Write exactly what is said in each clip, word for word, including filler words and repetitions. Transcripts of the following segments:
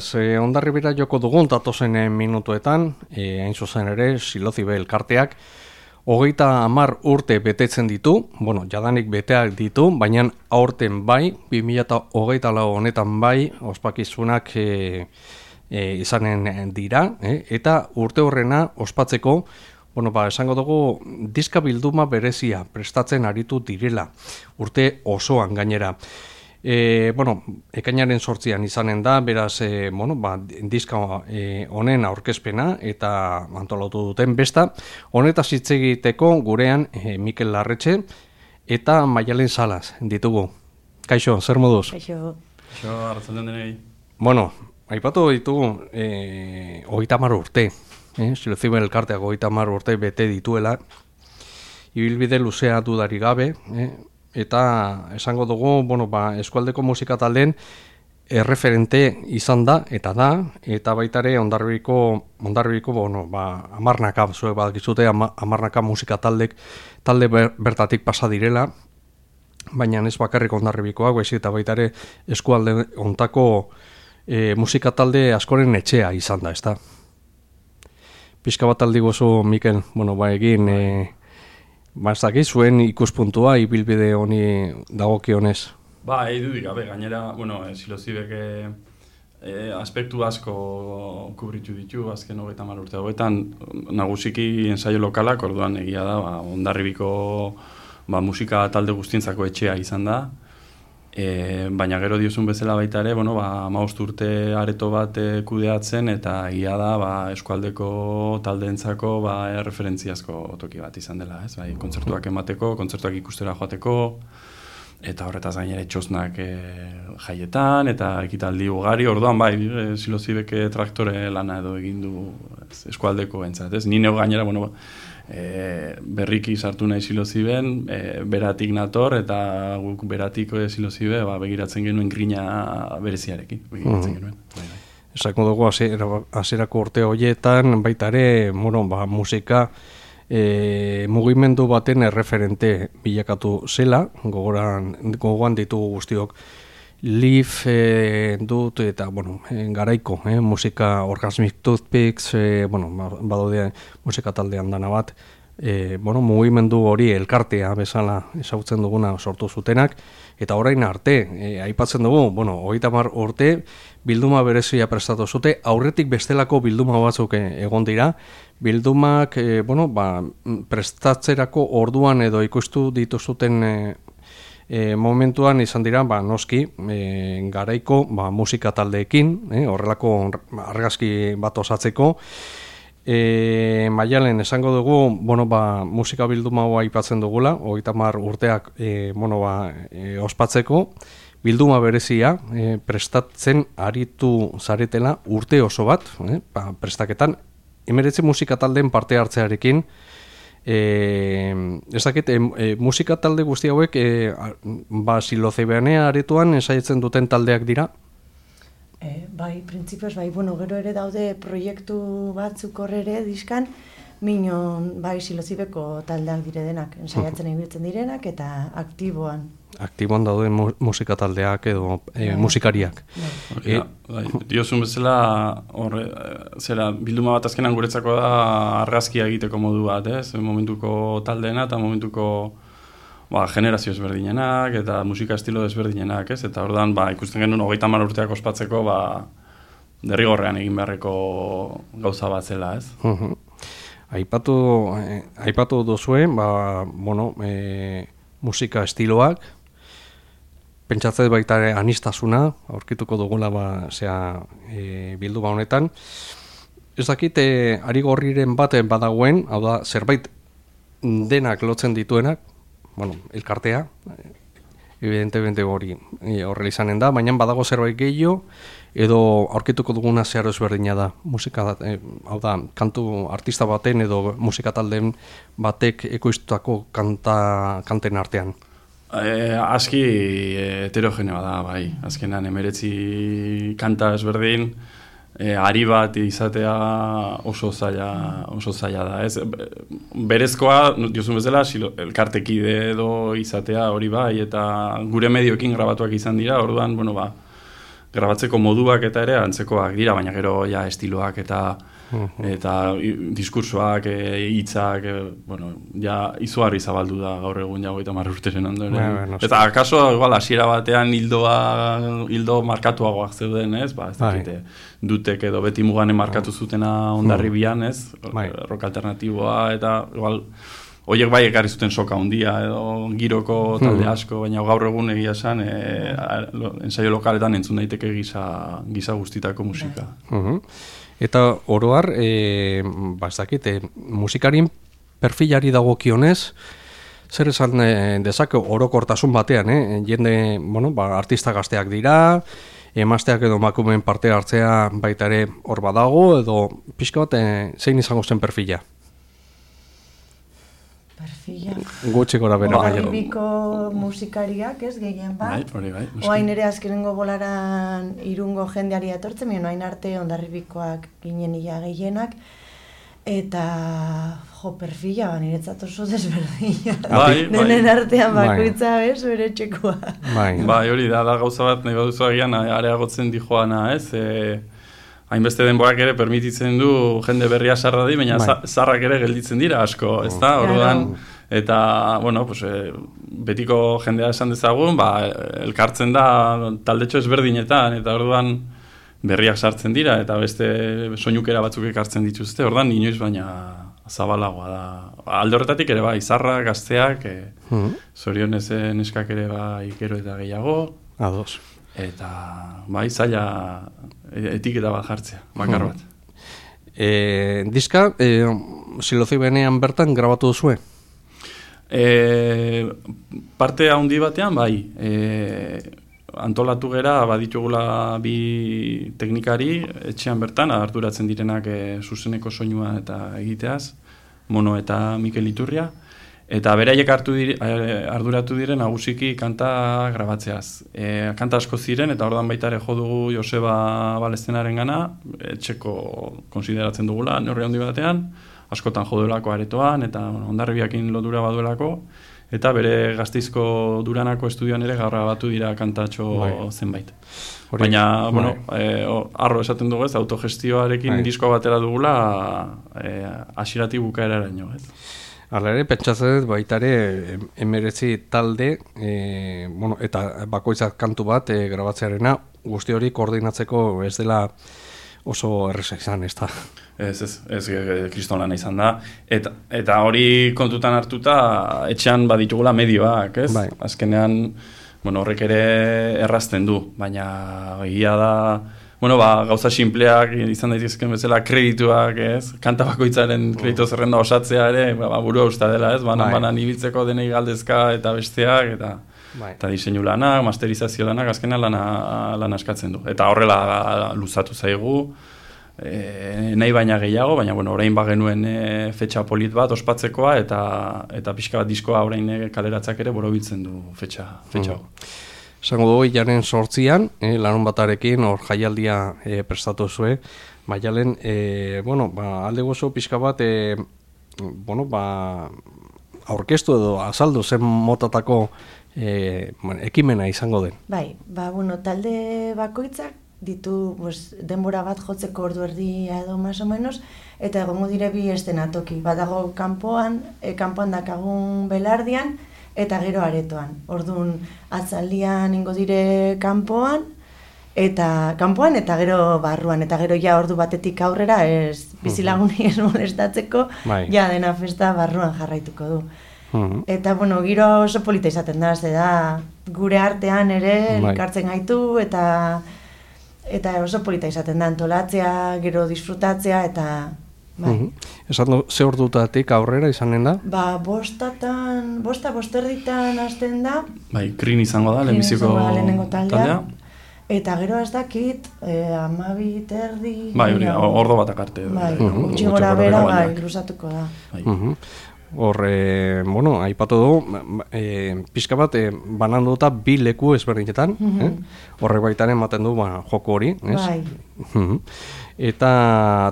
Ze Hondarribira joko dugun datozen minutuetan, e, hain zuzen ere, Silozibe elkarteak, hogeita hamar urte betetzen ditu, bueno, jadanik beteak ditu, baina aurten bai, bi mila hogeita lau honetan bai, ospakizunak e, e, izanen dira, e, eta urte horrena ospatzeko, bueno, ba, esango dugu, diska bilduma berezia prestatzen aritu direla, urte osoan gainera. E, bueno, ekainaren sortzian izanen da, beraz, e, bueno, ba, diska e, honen aurkezpena eta antolatu duten besta. Honetaz hitz egiteko gurean e, Mikel Larretxe eta Maialen Salas ditugu. Kaixo, zer moduz? Kaixo. Kaixo, arratzaldean denei. Bueno, aipatu ditugu e, hogeita hamar urte. Eh? Silozibe elkarteak hogeita hamar urte bete dituela. Ibilbide luzea dudarik gabe, eh? Eta esango dugu, bueno, ba, eskualdeko musika taldeen erreferente izan da, eta da, eta baita ere Hondarribiko, Hondarribiko, bueno, ba, hamarnaka, zuek badakizute, hamarnaka musika taldek, talde ber, bertatik pasa direla, baina ez bakarrik Hondarribikoak, baizik eta baita ere eskualde hontako e, musika talde askoren etxea izan da, ezta? Pixka bat aldi gozu, Mikel, bueno, ba, egin... E, Ba, ez dakit, zuen ikuspuntua ibilbide honi dagokionez. Ba, egin dudik, gabe, gainera, bueno, Silozibek e, aspektu asko kubritu ditu, azken hogeita hamar urte hauetan, nagusiki ensaio lokalak, orduan egia da, ba, Hondarribiko ba, musika talde guztientzako etxea izan da, e, baina gero diozun bezala baita ere, bueno, ba, hamabost urte areto bat e, kudeatzen, eta egia da, ba, eskualdeko taldeentzako ba, erreferentziazko toki bat izan dela, ez? Bai, kontzertuak emateko, kontzertuak ikustera joateko, eta horretaz gainera txosnak e, jaietan, eta ekitaldi ugari, orduan bai, e, Silozibek traktore lana edo egin du ez, eskualdeko entzat, ez? Ni neu gainera, bueno, e, berriki sartu nahi Siloziben, e, beratik nator, eta guk beratik e, Silozibe ba, begiratzen genuen grina bereziarekin, begiratzen mm. genuen. Bai, bai. Esako dugu, hasierako urte horietan, baita ere, bueno, ba, musika, E, mugimendu baten erreferente bilakatu zela, gogoran, gogoan ditugu guztiok Live e, dut eta bueno, e, garaiko, e, musika Orgasmic Toothpicks, e, bueno, badaude musika taldean dana bat, e, bueno, mugimendu hori elkartea bezala ezagutzen duguna sortu zutenak, eta orain arte, e, aipatzen dugu, bueno, hogeita hamar urte bilduma berezia prestatu zute, aurretik bestelako bilduma batzuk egon dira, bildumak, e, bueno, ba, prestatzerako orduan edo ikustu dituzuten e, e, momentuan izan dira, ba, noski, e, garaiko ba, musika taldeekin, e, horrelako argazki bat osatzeko. E, Maialen, esango dugu, bueno, ba, musika bilduma hoa aipatzen dugula, hogeita hamar urteak e, bueno, ba, e, ospatzeko, bilduma berezia e, prestatzen aritu zaretela urte oso bat, e, ba, prestaketan, hemeretzi musika taldeen parte hartzearekin, e, ez dakit, e, e, musika talde guzti hauek e, ba, Silozibeanea aretoan ensaietzen duten taldeak dira? E, bai, printzipioz, bai, bueno, gero ere daude proiektu batzuk horre diskan, minon, bai, Silozibeko taldeak dire denak, ensaiatzen ibiltzen direnak, eta aktiboan. Aktiboan daude mu musika taldeak edo e, bai, musikariak. Bai. E, bai, diozun bezala, horre, zera, bilduma bat azkenan guretzako da argazkia egiteko modu bat, ez? Momentuko taldeena eta momentuko ba, generazio ezberdinenak eta musika estilo ezberdinenak, ez? Eta ordan ba, ikusten genuen hogeita hamar urteak ospatzeko ba, derrigorrean egin beharreko gauza bat zela, ez? Uh-huh. Aipatu, eh, aipatu duzuen, ba, bueno, eh, musika estiloak, pentsatzen baita ere anistasuna, aurkituko dugula ba, zea, e, bilduma honetan. Ez dakit, e, ari gorriren bat badagoen, hau da, zerbait denak lotzen dituenak, bueno, elkartea, evidentemente hori horrela izanen da, baina badago zerbait gehiago, edo aurkituko duguna zeharo ezberdina da, musika, e, hau da, kantu artista baten edo musika taldeen batek ekoiztutako kanta, kanten artean. E, aski heterogenea da, bai. Azkenan emeretzi kanta ezberdin, e, ari bat izatea oso zaila, oso zaila da. Ez, berezkoa, diozun bezala, elkartekide edo izatea hori bai, eta gure medioekin grabatuak izan dira, orduan, bueno, ba, grabatzeko moduak eta ere antzekoak dira, baina gero ja estiloak eta eta diskursoak, hitzak, e, bueno, ja izugarri zabaldu da gaur egun ja hogeita hamar urteren ondoren. Ja, no, eta akaso igual hasiera batean hildoa hildo markatuagoak zeuden, ez? Ba, ez dakite. Dutek edo beti muganen markatu zutena Hondarribian, ez? Rock alternatiboa eta igual Oiek bai ekarri zuten soka handia edo giroko talde asko, baina gaur egun egia esan e, ensaio lokaletan entzun daiteke gisa, gisa guztitako musika. Uh-huh. Eta oroar, e, ba ez dakit, e, musikarien perfilari dagokionez, zer esan e, dezake orokortasun batean, eh? Jende, bueno, ba, artista gazteak dira, emazteak edo emakumeen parte hartzea baita ere hor badago, edo pixka bat, e, zein izango zen perfila? Perfila. Gutxi gora bera bai. Hondarribiko musikariak, ez, gehien bat. Bai, hori bai. Oain ere azkenengo bolaran irungo jendeari atortzen, mien oain arte Hondarribikoak ginen ia gehienak. Eta, jo, perfila, ba, niretzat oso desberdina. Bai, Denen bai. artean bakoitza, ez, bere txekoa. Bai, bai, hori da, da gauza bat, nahi baduzu agian areagotzen dijoana, ez? E, hainbeste denborak ere permititzen du jende berria sarra di, baina bai. Zarrak ere gelditzen dira asko, ez da? Orduan, eta, bueno, pues, e, betiko jendea esan dezagun, ba, elkartzen da taldetxo ezberdinetan, eta orduan berriak sartzen dira, eta beste soinukera batzuk ekartzen dituzte, orduan inoiz baina zabalagoa da. Alde horretatik ere bai, zarrak, gazteak, e, mm-hmm. zorionez neskak ere bai gero eta gehiago. Ados. Eta bai, zaila etiketa bat jartzea, bakar bat. E, diska, e, Silozibenean bertan grabatu duzue? E, parte handi batean, bai. E, antolatu gera, baditugula bi teknikari, etxean bertan, arduratzen direnak e, zuzeneko soinua eta egiteaz, Mono eta Mikel Iturria. Eta beraiek hartu dire, arduratu diren nagusiki kanta grabatzeaz. E, kanta asko ziren, eta ordan baita ere jo dugu Joseba Balestenaren gana, etxeko konsideratzen dugula, neurri handi batean, askotan jo duelako aretoan, eta bueno, Hondarribiakin lotura baduelako, eta bere Gasteizko Duranako estudioan ere grabatu dira kantatxo bai. zenbait. Hori, baina, bai. bueno, e, arro esaten dugu ez, autogestioarekin bai. diskoa batera dugula, e, hasieratik bukaeraraino, ez? Hala ere, pentsatzen baita ere emeretzi talde, e, bueno, eta bakoitzak kantu bat e, grabatzearena, guzti hori koordinatzeko ez dela oso erreza izan, ez da? Ez, ez, ez, kristolana izan da. Eta, eta hori kontutan hartuta, etxean baditugula medioak, ez? Bai. Azkenean, bueno, horrek ere errazten du, baina egia da, bueno, ba, gauza sinpleak izan daitezken bezala kredituak, ez? Kanta bakoitzaren kredito zerrenda osatzea ere, ba, burua usta dela, ez? Banan, bai. banan ibiltzeko denei galdezka eta besteak, eta, bai. eta diseinu lanak, masterizazio lanak, azkenean lana, lana askatzen du. Eta horrela luzatu zaigu, e, nahi baina gehiago, baina, bueno, orain bagenuen e, fetxa polit bat ospatzekoa, eta, eta pixka bat diskoa orain kaleratzak ere borobiltzen du fetxa, fetxa. Mm. Zango dugu, hilaren sortzian, eh, larun batarekin, hor jaialdia eh, prestatu zue, Maialen, eh, bueno, ba, alde gozo pixka bat, eh, bueno, ba, aurkeztu edo azaldu zen motatako eh, bueno, ekimena izango den. Bai, ba, bueno, talde bakoitzak ditu pues, denbora bat jotzeko ordu erdia edo más o menos, eta egongo dire bi estenatoki, badago kanpoan, e, kanpoan dakagun belardian, eta gero aretoan. Orduan, atzaldian ingo dire kanpoan, eta kanpoan eta gero barruan, eta gero ja ordu batetik aurrera ez bizilaguni ez molestatzeko, bai. Ja dena festa barruan jarraituko du. Uh-huh. Eta, bueno, giro oso polita izaten da, ze da, gure artean ere elkartzen gaitu, eta eta oso polita izaten da, antolatzea, gero disfrutatzea, eta bai. Uh-huh. Esan du, ze ordutatik aurrera izanen da? Ba, bostatan, bosta bosterditan hasten da. Bai, Krin izango da, lehenbiziko lehenengo taldea. Eta gero ez dakit, eh, amabi, terdi... Bai, hori, ordo batak arte. Bai, uh-huh. Utsi gora bera, bai, luzatuko da. Bai. Uh-huh. Horre, bueno, aipatu du, e, pixka bat, e, bananduta bi leku ezberdinetan, mm-hmm. eh? Horrek baitaren ematen du ba, joko hori, ez? Bai. Mm-hmm. Eta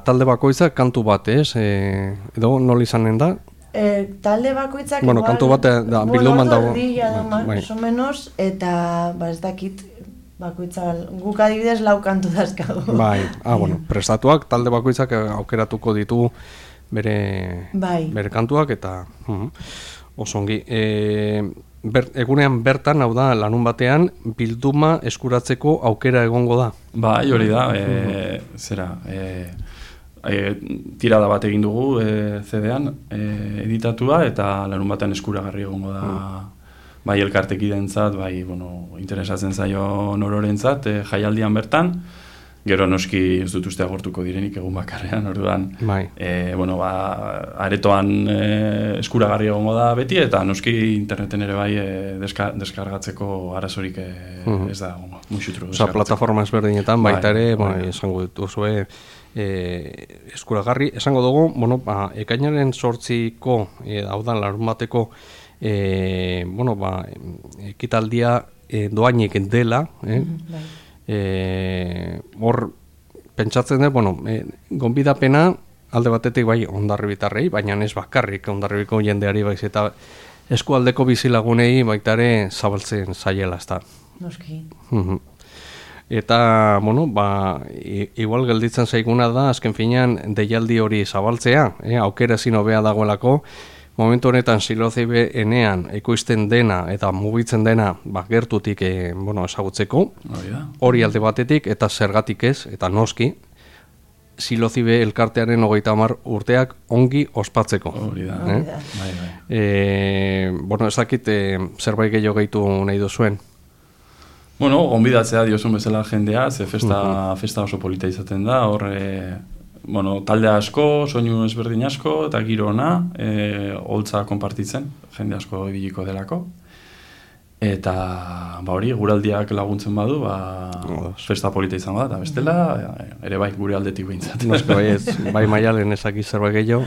talde bakoitzak kantu bat, ez? E, edo nola izanen da? E, talde bakoitzak bueno, igual, kantu bat da, bilduman dago. Bai, bai. Más o menos, eta ba, ez dakit, bakoitza, guk adibidez lau kantu dazkago. Bai, ah, bueno, prestatuak talde bakoitzak aukeratuko ditu bere, bai. bere kantuak eta uh, osongi. E, ber, egunean bertan, hau da, larun batean, bilduma eskuratzeko aukera egongo da. Bai, hori da, e, zera, e, e, tirada bat egin dugu e, C D-an e, editatua eta larun batean eskuragarri egongo da uh. bai elkartekidentzat, bai, bueno, interesatzen zaio nororentzat, e, jaialdian bertan, gero noski ez dut uste agortuko direnik egun bakarrean, orduan, bai. e, bueno, ba, aretoan e, eskuragarri egongo da beti, eta noski interneten ere bai e, deska, deskargatzeko arazorik e, uh-huh. ez da, bueno, muxutru. Osa, plataforma ezberdinetan, bai, baita ere, bai, bai. Esango dituzue, e, eskuragarri, esango dugu, bueno, ba, ekainaren sortziko, e, hau da, larun bateko, E, bueno, ba, ekitaldia e, doainik dela, eh? Mm-hmm. e, hor, pentsatzen dut, bueno, e, gonbidapena alde batetik bai Hondarribitarrei, baina ez bakarrik Hondarribiko jendeari baiz eta eskualdeko bizilagunei baitare zabaltzen zaiela, ez da. Noski. Mm-hmm. Eta, bueno, ba, igual gelditzen zaiguna da, azken finean, deialdi hori zabaltzea, eh? Aukera ezin hobea dagoelako, momentu honetan Silozibe enean ekoizten dena eta mugitzen dena ba, gertutik e, bueno, ezagutzeko, hori alde batetik eta zergatik ez, eta noski, Silozibe elkartearen hogeita hamar urteak ongi ospatzeko. Hori da. Eh? Bai, bai. E, bueno, ez dakit e, zerbait gehiago gehitu nahi duzuen. Bueno, gonbidatzea diozun bezala jendea, ze festa, uh-huh. festa oso polita izaten da, hor... E... Bueno, talde asko, soinu ezberdin asko, eta giro ona, e, holtza konpartitzen, jende asko ibiliko delako. Eta, ba hori, guraldiak laguntzen badu, ba, festa polita izango da, eta bestela, ere bai, gure aldetik behintzat. Noske bai ez, bai Maialen ezaki zerbait gehiago.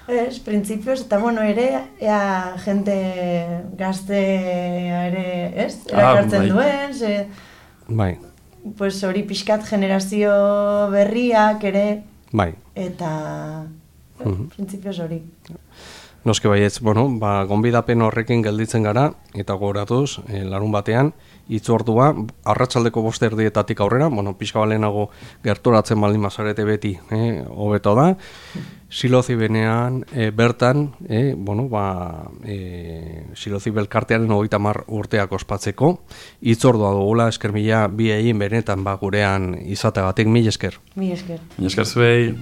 Ez, printzipioz, eta bueno, ere, ea jende gaztea ere, ez? Erakartzen ah, bai. duen, ze... Bai. Pues hori pixkat generazio berriak ere... Bai. Eta, uh-huh. printzipioz hori. Noske baietz, bueno, ba, gonbidapen horrekin gelditzen gara, eta gogoratuz, e, larun batean, itzordua, arratsaldeko bost erdietatik aurrera, bueno, pixka balenago gerturatzen baldin bazarete beti, eh, hobeto da, Silozibenean e, bertan, e, bueno, ba, e, Silozibe elkartearen hogeita hamar urteak ospatzeko, itzordua dugula, esker mila bi egin benetan ba, gurean izateagatik, mil esker. Mil esker. Mil esker zuei.